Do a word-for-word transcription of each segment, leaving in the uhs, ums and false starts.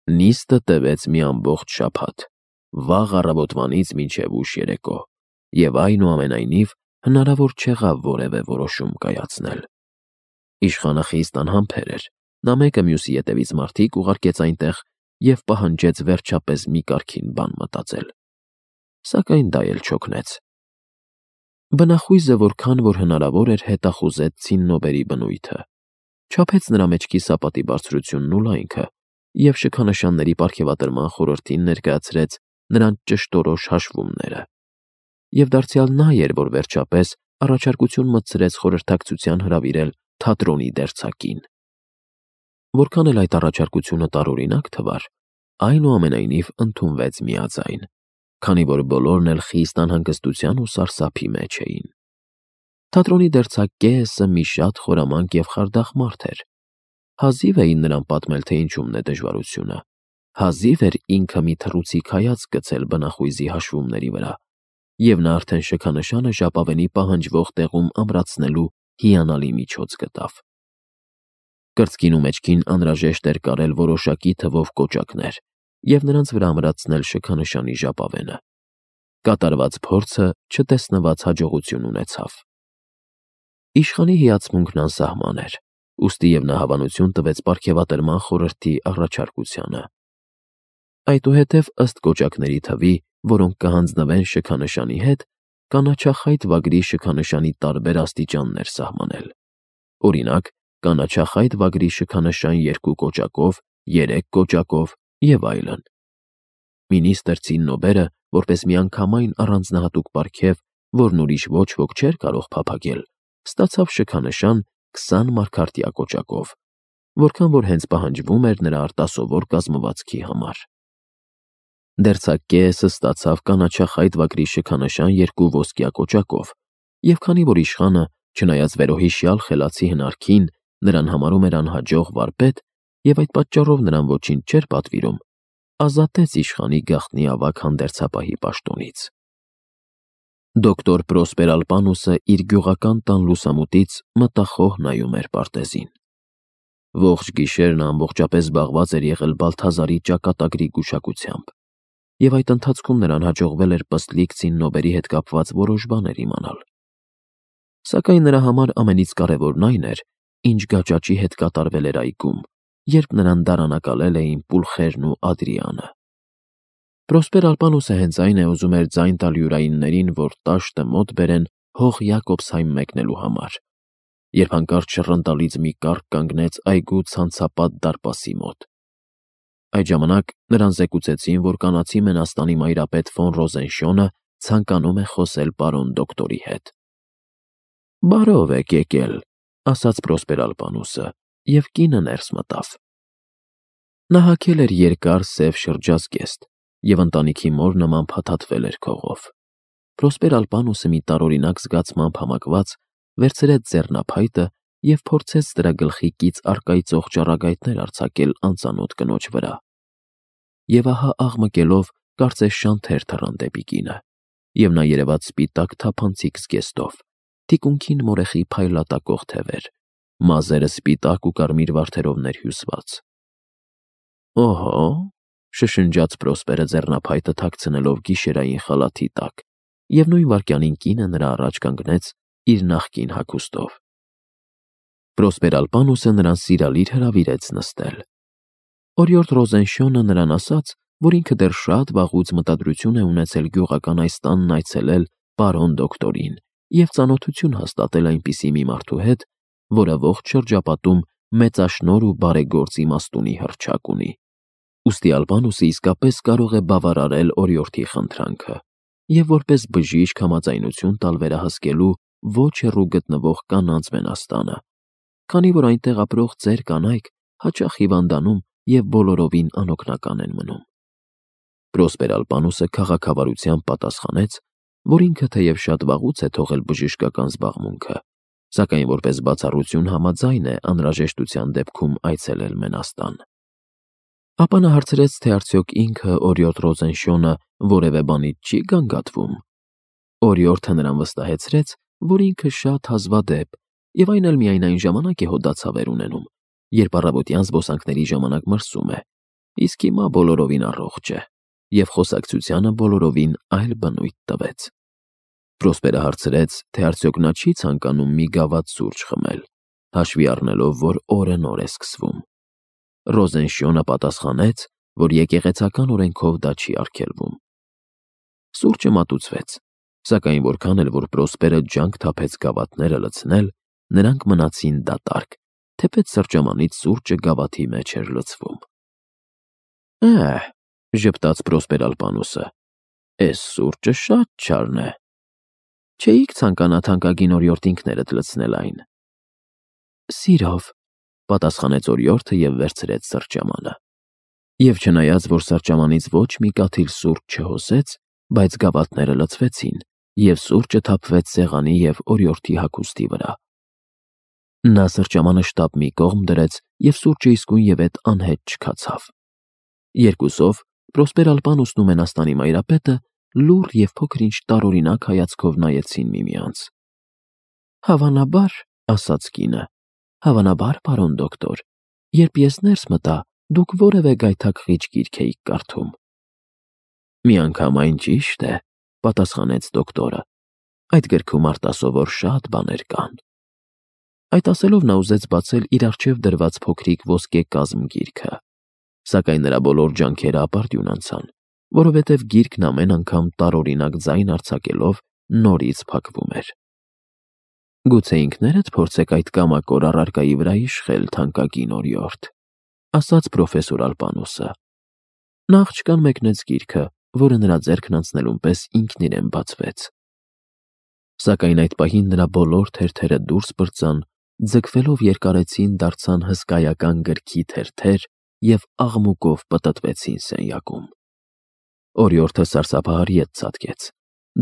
Նիստը տևեց մի ամբողջ շաբաթ, վաղ առավոտվանից մինչև ուշ երեկո, և այնուամենայնիվ հնարավոր չեղավ որևէ որոշում կայացնել։ Իշխանը խիստ անհամբեր էր, նա մեկը մյուսի ետևից մարդիկ ուղարկեց այնտեղ և պահանջեց վերջապես մի կարգին բան մտածել։ Սակայն դա էլ չօգնեց։ Բնախույզը որքան որ հնարավոր էր հետախուզեց ցիննոբերի բնույթը, չափեց նրա մեջքի սապատի բարձրությունն ու լայնքը և շքանշանների պարգևատրման խորհրդին ներկայացրեց նրանց ճշտորոշ հաշվումները։ Եվ դարձյալ նա էր, որ վերջապես առաջարկություն մտցրեց խորհրդակցության հրավիրել թատրոնի դերձակին։ Որքան էլ այդ առաջարկությունը տարօրինակ թվար, այնուամենայնիվ ընդունվեց միաձայն, քանի որ բոլորն էլ խիստ անհանգստության ու սարսափի մեջ էին։ Թատրոնի դերձակ Կեեսը մի շատ խորամանկ և խարդախ մարդ էր։ Հազիվ էին նրան պատմել, թե ինչումն է դժվարությունը, հազիվ էր ինքը մի թռուցիկ հայացք գցել բնախույզի հաշվումների վրա, և նա արդեն շքանշանը ժապավենի պահանջվող տեղում ամրացնելու հիանալի միջոց գտավ։ Կրծքին ու մեջքին անհրաժեշտ էր կարել որոշակի թվով կոճակներ և նրանց վրա ամրացնել շքանշանի ժապավենը։ Կատարված փորձը չտեսնված հաջողություն ունեցավ։ Իշխանի հիացմունքն անսահման էր, ուստի և նա հավանություն տվեց պարգևատրման խորհրդի առաջարկությանը։ Այդուհետև ըստ կոճակների թվի, որոնք կհանձնվեն շքանշանի հետ, կանաչախայտ վագրի շքանշանի տարբեր աստիճաններ սահմանել։ Օրինակ, կանաչախայտ վագրի շքանշան երկու կոճակով, երեք կոճակով և այլն։ Մինիստր Ցիննոբերը, որպես միանգամայն առանձնահատուկ պարգև, որն ուրիշ ոչ ոք չէր կարող փափագել, ստացավ շքանշան քսան մարգարտյա կոճակով, որքան որ հենց պահանջվում էր նրա արտասովոր կազմվածքի համար։ Դերձակ Կեեսը ստացավ կանաչախայտ վագրի շքանշան երկու ոսկյա կոճակով, և քանի որ իշխանը, չնայած վերոհիշյալ խելացի հնարքին, նրան համարում էր անհաջող վարպետ և այդ պատճառով նրան ոչինչ չէր պատվիրում, ազատեց իշխանի գաղտնի ավագ հանդերձապահի պաշտոնից։ Դոկտոր Պրոսպեր Ալպանուսը իր գյուղական տան լուսամուտից մտախոհ նայում էր պարտեզին։ Ողջ գիշերն ամբողջապես զբաղված էր եղել Բալթազարի ճակատագրի գուշակությամբ, և այդ ընթացքում նրան հաջողվել էր պստլիկ ցիննոբերի հետ կապված որոշ բաներ իմանալ։ Սակայն նրա համար ամենից կարևորն այն էր, ինչ գաճաճի հետ կատարվել էր այգում, երբ նրան դարանակալել էին Պուլխերն ու Ադրիանը։ Պրոսպեր Ալպանուսը հենց այն է ուզում էր ձայն տալ յուրայիններին, որ տաշտը մոտ բերեն հող Յակոբսհայմ մեկնելու համար, երբ հանկարծ շռնտալից մի կառք կանգնեց այգու ցանցապատ դարպասի մոտ։ Այդ ժամանակ նրան զեկուցեցին, որ կանացի մենաստանի մայրապետ ֆոն Ռոզենշյոնը ցանկանում է խոսել պարոն դոկտորի հետ։ «Բարով եք եկել», ասաց Պրոսպեր Ալպանուսը, և կինը ներս մտավ։ Նա հագել էր երկար սև շրջազգեստ և ընտանիքի մոր նման փաթաթվել էր քողով։ Պրոսպեր Ալպանուսը մի տարօրինակ զգացմամբ համակված վերցրեց ձեռնափայտը և փորձեց դրա գլխի կից առկայծող ճառագայթներ արձակել անծանոթ կնոջ վրա։ Եվ ահա աղմկելով կարծես շանթեր թռան դեպի կինը, և նա երևաց սպիտակ թափանցիկ զգեստով, թիկունքին մորեխի փայլատակող թևեր, մազերը սպիտակ ու կարմիր վարդերով ներհյուսված։ «Օհո», շշնջաց Պրոսպերը ձեռնափայտը թաքցնելով գիշերային խալաթի տակ, և նույն վայրկյանին կինը նրա առաջ կանգնեց իր նախկին հագուստով։ Պրոսպեր Ալպանուսը նրան սիրալիր հրավիրեց նստել։ Օրիորդ Ռոզենշյոնը նրան ասաց, որ ինքը դեռ շատ վաղուց մտադրություն է ունեցել գյուղական այս տանն այցելել պարոն դոկտորին և ծանոթություն հաստատել այնպիսի մի մարդու հետ, որը ողջ շրջապատում մեծաշնորհ ու բարեգործ իմաստունի հռչակ ունի։ Ուստի Ալպանուսը իսկապես կարող է բավարարել օրիորդի խնդրանքը և որպես բժիշկ համաձայնություն տալ վերահսկելու ոչ հեռու գտնվող կանանց մենաստանը, քանի որ այնտեղ ապրող ծեր կանայք հաճախ հիվանդանում և բոլորովին անօգնական են մնում։ Պրոսպեր Ալպանուսը քաղաքավարությամբ պատասխանեց, որ ինքը թեև շատ վաղուց է թողել բժշկական զբաղմունքը, սակայն որպես բացառություն համաձայն է անհրաժեշտության դեպքում այցելել մենաստան։ Ապա նա հարցրեց, թե արդյոք ինքը օրիորդ Ռոզենշյոնը որևէ բանից չի գանգատվում։ Օրիորդը նրան վստահեցրեց, որ ինքը շատ հազվադեպ և այն էլ միայն այն ժամանակ է հոդացավեր ունենում, երբ առավոտյան զբոսանքների ժամանակ մրսում է, իսկ հիմա բոլորովին առողջ է, և խոսակցությանը բոլորովին այլ բնույթ տվեց։ Պրոսպերը հարցրեց, թե արդյոք նա չի ցանկանում մի գավաթ սուրճ խմել, հաշվի առնելով, որ օրը նոր է սկսվում։ Ռոզենշյոնը պատասխանեց, որ եկեղեցական օրենքով դա չի արգելվում։ Սուրճը մատուցվեց, սակայն որքան էլ որ Պրոսպերը ջանք թափեց գավաթները լցնել, նրանք մնացին դատարկ, թեպետ սրճամանից սուրճը գավաթի մեջ էր լցվում։ «Է՛հ,» ժպտաց Պրոսպեր Ալպանոսը, «էս սուրճը շատ չարն է։ Չէիք ցանկանա թանկագին օրիորդ ինքներդ լցնել այն»։ «Սիրով», պատասխանեց օրիորդը և վերցրեց սրճամանը։ Եվ չնայած, որ սրճամանից ոչ մի կաթիլ սուրճ չհոսեց, բայց գավաթները լցվեցին, և սուրճը թափվեց սեղանի և օրիորդի հագուստի վրա։ Նա սրճամանը շտապ մի կողմ դրեց, և սուրճը իսկույնևեթ անհետ չքացավ։ Երկուսով Պրոսպեր Ալպանոսն ու Մենաստանի մայրապետը լուռ և փոքր-ինչ տարօրինակ հայացքով նայեցին միմյանց։ «Հավանաբար,» ասաց կինը, «հավանաբար, պարոն դոկտոր, երբ ես ներս մտա, դուք որևէ գայթակղիչ գիրք էիք կարդում»։ «Միանգամայն ճիշտ է», պատասխանեց դոկտորը, «այդ գրքում արտասովոր շատ բաներ կան»։ Այդ ասելով նա ուզեց բացել իր առջև դրված փոքրիկ ոսկե կազմ գիրքը, սակայն նրա բոլոր ջանքերը ապարդյուն անցան, որովհետև գիրքն ամեն անգամ տարօրինակ ձայն արձակելով նորից փակվում էր։ «Գուցե ինքներդ փորձեք այդ կամակոր առարկայի վրա իշխել, թանկագին օրիորդ», ասաց պրոֆեսոր Ալպանոսը։ Նա աղջկան մեկնեց գիրքը, որը նրա ձեռքն անցնելուն պես ինքն իրեն բացվեց։ Սակայն այդ պահին նրա բոլոր թերթերը դուրս պրծան, ձգվելով երկարեցին դարձան հսկայական գրքի թերթեր և աղմուկով պտտվեցին սենյակում։ Օրիորդը սարսափահար ետ ցատկեց,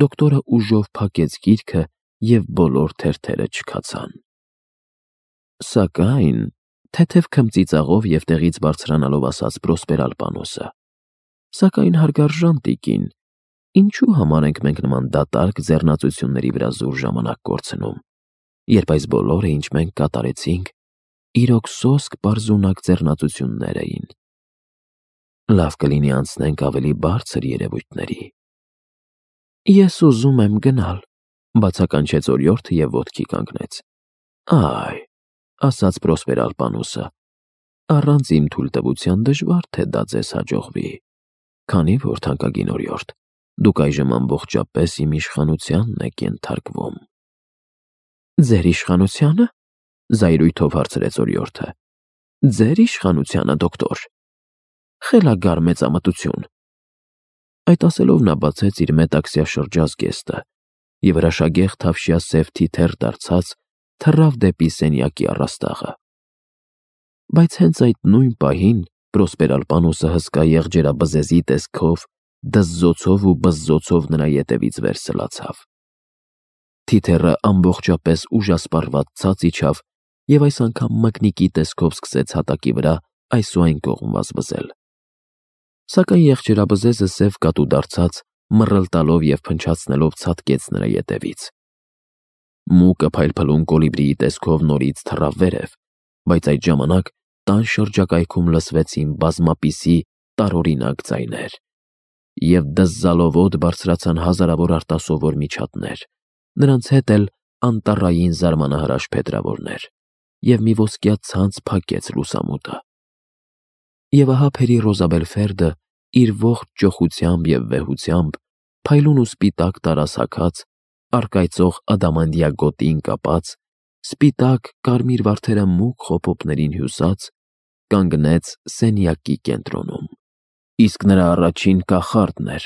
դոկտորը ուժով փակեց գիրքը, և բոլոր թերթերը չքացան։ Սակայն, թեթև քմծիծաղով և տեղից բարձրանալով ասաց Պրոսպեր Ալպանոսը, «Սակայն, հարգարժան տիկին, ինչու համար ենք մենք նման դատարկ ձեռնածությունների վրա զուր ժամանակ կորցնում, երբ այս բոլորը, ինչ մենք կատարեցինք, իրոք սոսկ պարզունակ ձեռնածություններ էին։ Լավ կլինի անցնենք ավելի բարձր երևույթների»։ «Ես ուզում եմ գնալ», բացականչեց օրիորդը և ոտքի կանգնեց։ «Այ», ասաց Պրոսպեր Ալպանոսը, «առանց իմ թույլտվության դժվար թե դա ձեզ հաջողվի, քանի որ, թանկագին օրիորդ, դուք այժմ ամբողջապես իմ իշխանությանն եք ենթարկվում»։ «Ձեր իշխանությա՞նը», զայրույթով հարցրեց օրիորդը։ «Ձեր իշխանությա՞նը, դոկտոր։ Խելագար մեծամտություն»։ Այդ ասելով նա բացեց իր մետաքսյա շրջազգեստը և հրաշագեղ թավշյա սև թիթեռ դարձած թռավ դեպի սենյակի առաստաղը։ Բայց հենց այդ նույն պահին Պրոսպեր Ալպանոսը հսկա եղջերաբզեզի տեսքով դզզոցով ու բզզոցով նրա ետևից վեր սլացավ։ Թիթեռը ամբողջապես ուժասպառված ցած իջավ և այս անգամ մկնիկի տեսքով սկսեց հատակի վրա այս ու այն կողմ վազվզել։ Սակայն եղջերաբզեզը սև կատու դարձած, մռլտալով և փնչացնելով ցատկեց նրա ետևից։ Մուկը փայլփլուն կոլիբրիի տեսքով նորից թռավ վերև, բայց այդ ժամանակ տան շրջակայքում լսվեցին բազմապիսի տարօրինակ ձայներ, և դզզալով օդ բարձրացան հազարավոր արտասովոր միջատներ, նրանց հետ էլ անտառային զարմանահրաշ փետրավորներ, և մի ոսկյա ցանց փակեց լուսամուտը։ Եվ ահա Փերի Ռոզաբելֆերդը իր ողջ ճոխությամբ և վեհությամբ, փայլուն ու սպիտակ տարասաքած, առկայծող ադամանդյա գոտին կապած, սպիտակ կարմիր վարդերը մուգ խոփոփներին հյուսած, կանգնեց սենյակի կենտրոնում։ Իսկ նրա առաջին կախարդն էր,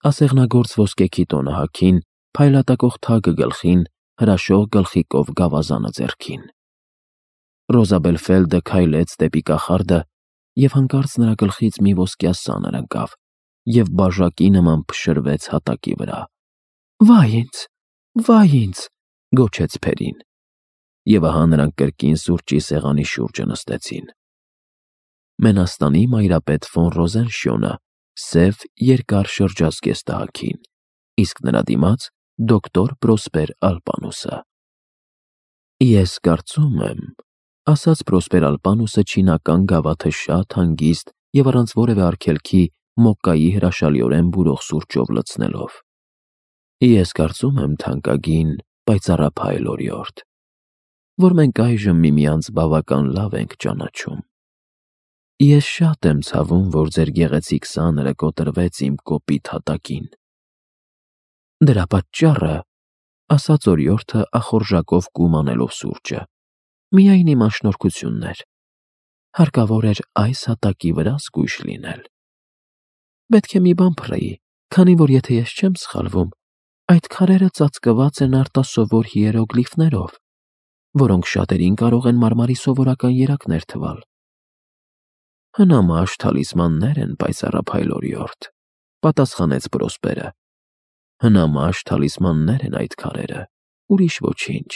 ասեղնագործ ոսկե քիտոնը հագին, փայլատակող թագը գլխին, հրաշող գլխիկով գավազանը ձեռքին։ Ռոզաբելֆելդը քայլեց դեպի կախարդը, և հանկարծ նրա գլխից մի ոսկյա սանր ընկավ և բաժակի նման փշրվեց հատակի վրա։ «Վա՜յ ինձ, վա՜յ ինձ», գոչեց Փերին։ Եվ ահա նրանք կրկին սուրճի սեղանի շուրջը նստեցին։ Մենաստանի մայրապետ ֆոն Ռոզենշյոնը սև երկար շրջազգեստ հագին, իսկ նրա դիմաց դոկտոր Պրոսպեր Ալպանոսը։ «Ես կարծում եմ,» ասաց Պրոսպեր Ալպանոսը չինական գավաթը շատ հանգիստ և առանց որևէ արգելքի մոկկայի հրաշալիորեն բուրող սուրճով լցնելով։ Ես կարծում եմ, թանկագին, պայծառափայլ օրիորդ, որ մենք այժմ միմյանց բավական լավ ենք ճանաչում։ Ես շատ եմ ցավում, որ ձեր գեղեցիկ սաները կոտրվեց իմ կոպիտ հատակին։ Դրա պատճառը, ասաց օրիորդը ախորժակով կում անելով սուրճը, միայն իմ անշնորհքությունն էր։ Հարկավոր էր այս հատակի վրա զգույշ լինել։ Պետք է մի բան փռեի, քանի որ եթե ես չեմ սխալվում, այդ քարերը ծածկված են արտասովոր հիերոգլիֆներով, որոնք շատերին կարող են մարմարի սովորական երակներ թվալ։ Հնամաշ թալիսմաններ են, պայծառափայլ օրիորդ, պատասխանեց Պրոսպերը։ Հնամաշ թալիսմաններ են այդ քարերը, ուրիշ ոչինչ։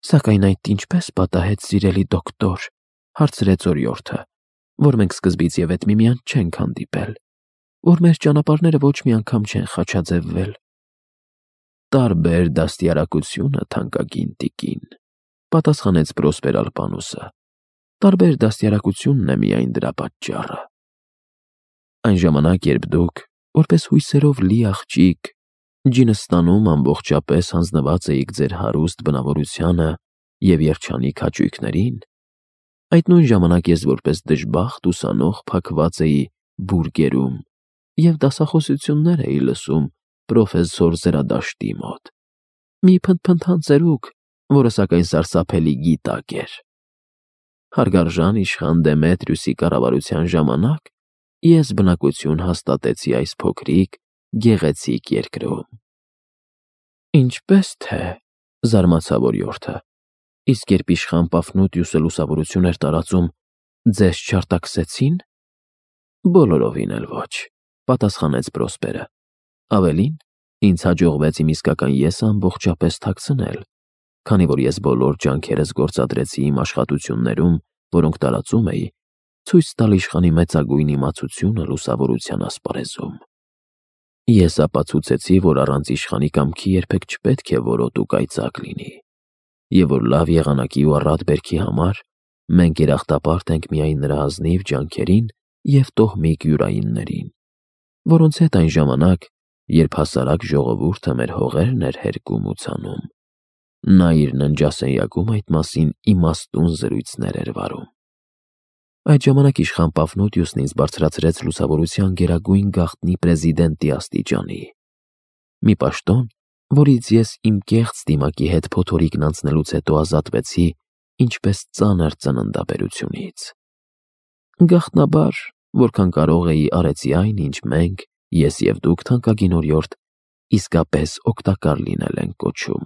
Սակայն այդ ինչպես պատահեց, սիրելի դոկտոր, հարցրեց օրիորդը, որ մենք սկզբից եւ այդ միմյանց չենք հանդիպել, որ մեր ճանապարհները ոչ մի անգամ չեն խաչաձևվել։ Տարբեր դաստիարակությունը, թանկագին տիկին, պատասխանեց Պրոսպեր Ալպանոսը։ Տարբեր դաստիարակությունն է միայն դրա պատճառը։ Այն ժամանակ, երբ դուք, որպես հույսերով լի աղջիկ, ջինստանում ամբողջապես հանձնված էիք ձեր հարուստ բնավորությանը և երջանիկ հաճույքներին, այդ նույն ժամանակ ես որպես դժբախտ ուսանող փակված էի բուրգերում և դասախոսություններ էի լսում պրոֆեսոր Զրադաշտի մոտ, մի փնթփնթան ծերուկ, որը սակայն սարսափելի գիտակ էր։ Հարգարժան իշխան Դեմետրիուսի կառավարության ժամանակ ես բնակություն հաստատեցի այս փոքրիկ, գեղեցիկ երկրում։ Ինչպես թե, զարմացավ օրիորդը, իսկ երբ իշխան Պաֆնուտիուսը լուսավորություն էր տարածում, ձեզ չարտաքսեցի՞ն։ Բոլորովին էլ ոչ, պատասխանեց Պրոսպերը։ Ավելին, ինձ հաջողվեց իմ իսկական եսը ամբողջապես թաքցնել, քանի որ ես բոլոր ջանքերս գործադրեցի իմ աշխատություններում, որոնք տարածում էի, ցույց տալ իշխանի մեծագույն իմացությունը լուսավորության ասպարեզում։ Ես ապացուցեցի, որ առանց իշխանի կամքի երբեք չպետք է որոտ ու կայծակ լինի, և որ լավ եղանակի ու առատ բերքի համար մենք երախտապարտ ենք միայն նրա ազնիվ ջանքերին և տոհմիկ յուրայիններին, որոնց հետ այն ժամանակ, երբ հասարակ ժողովուրդը մեր հողերն էր հերկում ու ցանում, նա իր ննջասենյակում այդ մասին իմաստուն զրույցներ էր վարում։ Այդ ժամանակ իշխան Պաֆնուտիուսն ինձ բարձրացրեց լուսավորության գերագույն գաղտնի պրեզիդենտի աստիճանի, մի պաշտոն, որից ես իմ կեղծ դիմակի հետ փոթորիկն անցնելուց հետո ազատվեցի ինչպես ծանր ծննդաբերությունից։ Գաղտնաբար, որքան կարող էի, արեցի այն, ինչ մենք, ես և դուք, թանկագին օրիորդ, իսկապես օգտակար լինել ենք կոչում։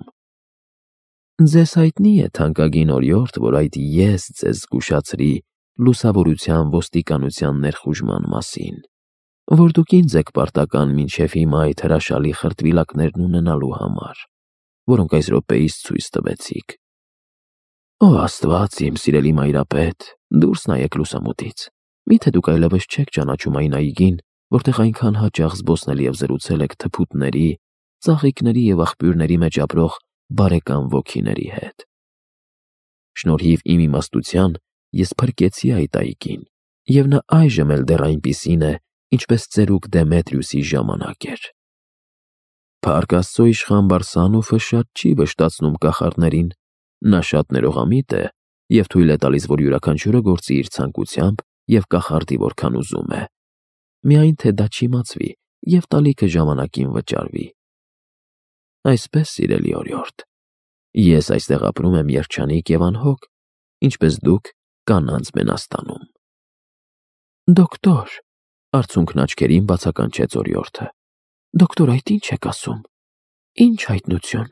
Ձեզ հայտնի է, թանկագին օրիորդ, որ այդ ես ձեզ զգուշացրի լուսավորության ոստիկանության ներխուժման մասին, որ դուք ինձ եք պարտական մինչև հիմա այդ հրաշալի խրտվիլակներն ունենալու համար, որոնք այս րոպեիս ցույց տվեցիք։ Ո Աստված, իմ սիրելի մայրապետ, դուրս նայեք լուսամուտից։ Միթե դուք այլևս չեք ճանաչում այն այգին, որտեղ այնքան հաճախ զբոսնել և զրուցել եք թփուտների, ծաղիկների և աղբյուրների մեջ ապրող բարեկամ ոգիների հետ։ Շնորհիվ իմ իմաստության ես փրկեցի այդ այգին, և նա այժմ էլ դեռ այնպիսին է, ինչպես ծերուկ Դեմետրիուսի ժամանակ էր։ Փառք Աստծո, իշխան Բարսանուֆը շատ չի վշտացնում կախարդներին, նա շատ ներողամիտ է և թույլ է տալիս, որ յուրաքանչյուրը գործի իր ցանկությամբ և կախարդի որքան ուզում է, միայն թե դա չիմացվի և տալիքը ժամանակին վճարվի։ Այսպես, սիրելի օրիորդ, ես այստեղ ապրում եմ երջանիկ և անհոգ, ինչպես դուք կանանց մենաստանում։ Դոկտոր, արցունքն աչքերին բացականչեց օրիորդը, դոկտոր, այդ ինչ եք ասում, ինչ հայտնություն։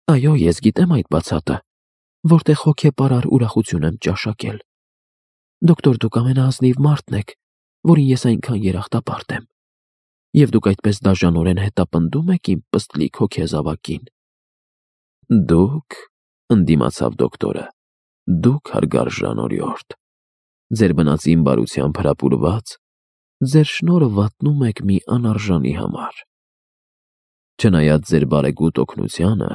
Այո, ես գիտեմ այդ բացատը, որտեղ հոգեպարար ուրախություն եմ ճաշակել։ Դոկտոր, դուք ամենաազնիվ մարդն եք, որին ես այնքան երախտապարտ եմ, և դուք այդպես դաժանորեն հետապնդում եք իմ պստլիկ հոգեզավակին։ Դուք, ընդդիմացավ դոկտորը, դուք հարգարժան օրիորդ, ձեր բնածին բարությամբ հրապուրված, ձեր շնորհը վատնում եք մի անարժանի համար։ Չնայած ձեր բարեգութ օգնությանը,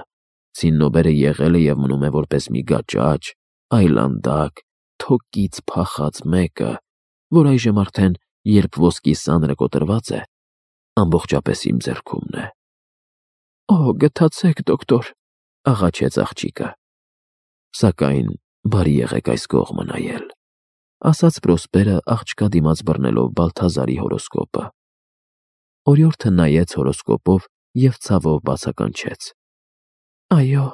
Ցիննոբերը եղել է և մնում է որպես մի գաճաճ, այլանդակ, թոկից փախած մեկը, որ այժմ արդեն, երբ ոսկի սանրը կոտրված է, ամբողջապես իմ ձեռքումն է։ Օ, գթացեք, դոկտոր, աղաչեց աղջիկը։ Սակայն բարի եղեք այս կողմը նայել, ասաց Պրոսպերը աղջկա դիմաց բռնելով Բալթազարի հորոսկոպը։ Օրիորդը նայեց հորոսկոպով և ցավով բացականչեց. Այո,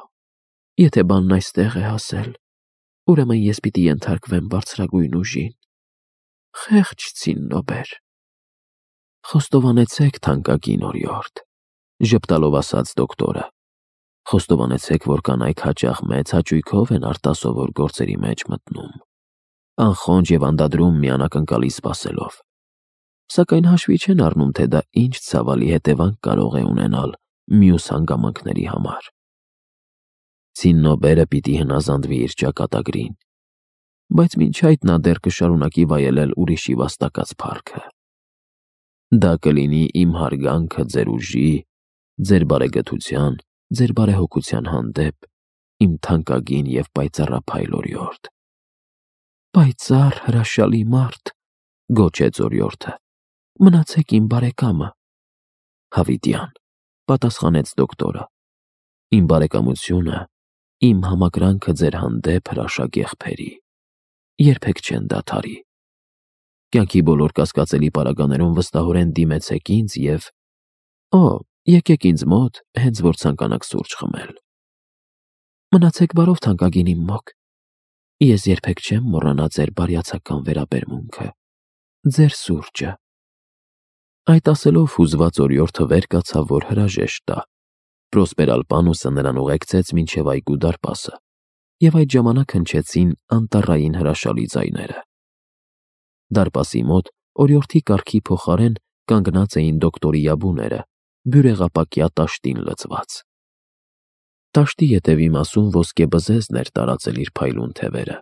եթե բանն այստեղ է հասել, ուրեմն ես պիտի ենթարկվեմ բարձրագույն ուժին։ Խեղճ ցիննոբեր։ Խոստովանեցեք, թանկագին օրիորդ, ժպտալով ասաց դոկտորը։ Խոստովանեցեք, որ կանայք հաճախ մեծ հաճույքով են արտասովոր գործերի մեջ մտնում, անխոնջ և անդադրում մի անակնկալի սպասելով, սակայն հաշվի չեն առնում, թե դա ինչ ցավալի հետևանք կարող է ունենալ մյուս հանգամանքների համար։ Ցիննոբերը պիտի հնազանդվի իր ճակատագրին, բայց մինչ այդ նա դեռ կշարունակի վայելել ուրիշի վաստակած փառքը։ Դա կլինի իմ հարգանքը ձեր ուժի, ձեր բարեգթության, ձեր բարեհոգության հանդեպ, իմ թանկագին և պայծառափայլ օրիորդ։ Պայծառ հրաշալի մարդ, գոչեց օրիորդը, մնացեք իմ բարեկամը։ Հավիտյան, պատասխանեց դոկտորը, իմ բարեկամությունը, իմ համակրանքը ձեր հանդեպ հրաշագ եղբերի, երբեք չեն դադարի։ Կյանքի բոլոր կասկածելի պարագաներում վստահորեն դիմեցեք ինձ և… Օ, եկեք ինձ մոտ, հենց որ ցանկանաք սուրճ խմել։ Մնացեք բարով, թանկագին իմ մոկ, ես երբեք չեմ մոռանա ձեր բարյացակամ վերաբերմունքը, ձեր սուրճը։ Այդ ասելով հուզված օրիորդը վեր կացավ, որ հրաժեշտ տա։ Պրոսպեր Ալպանուսը նրան ուղեկցեց մինչև այգու դարպասը, և այդ ժամանակ հնչեցին անտառային հրաշալի ձայները։ Դարպասի մոտ օրիորդի կառքի փոխարեն կանգնած էին դոկտորի յաբուները, բյուրեղապակյա տաշտին լցված։ Տաշտի ետևի մասում ոսկե բզեզն էր տարածել իր փայլուն թևերը,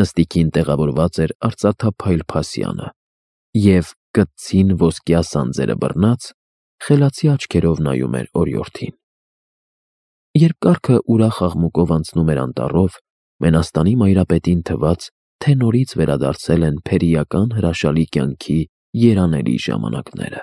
նստիկին տեղավորված էր արծաթափայլ փասյանը, և կտցին ոսկյա սանձերը բռնած, խելացի աչքերով նայում էր օրիորդին։ Երբ կառքը ուրախ աղմուկով անցնում էր անտառով, Մենաստանի մայրապետին թվաց, թե նորից վերադարձել են փերիական հրաշալի կյանքի երանելի ժամանակները։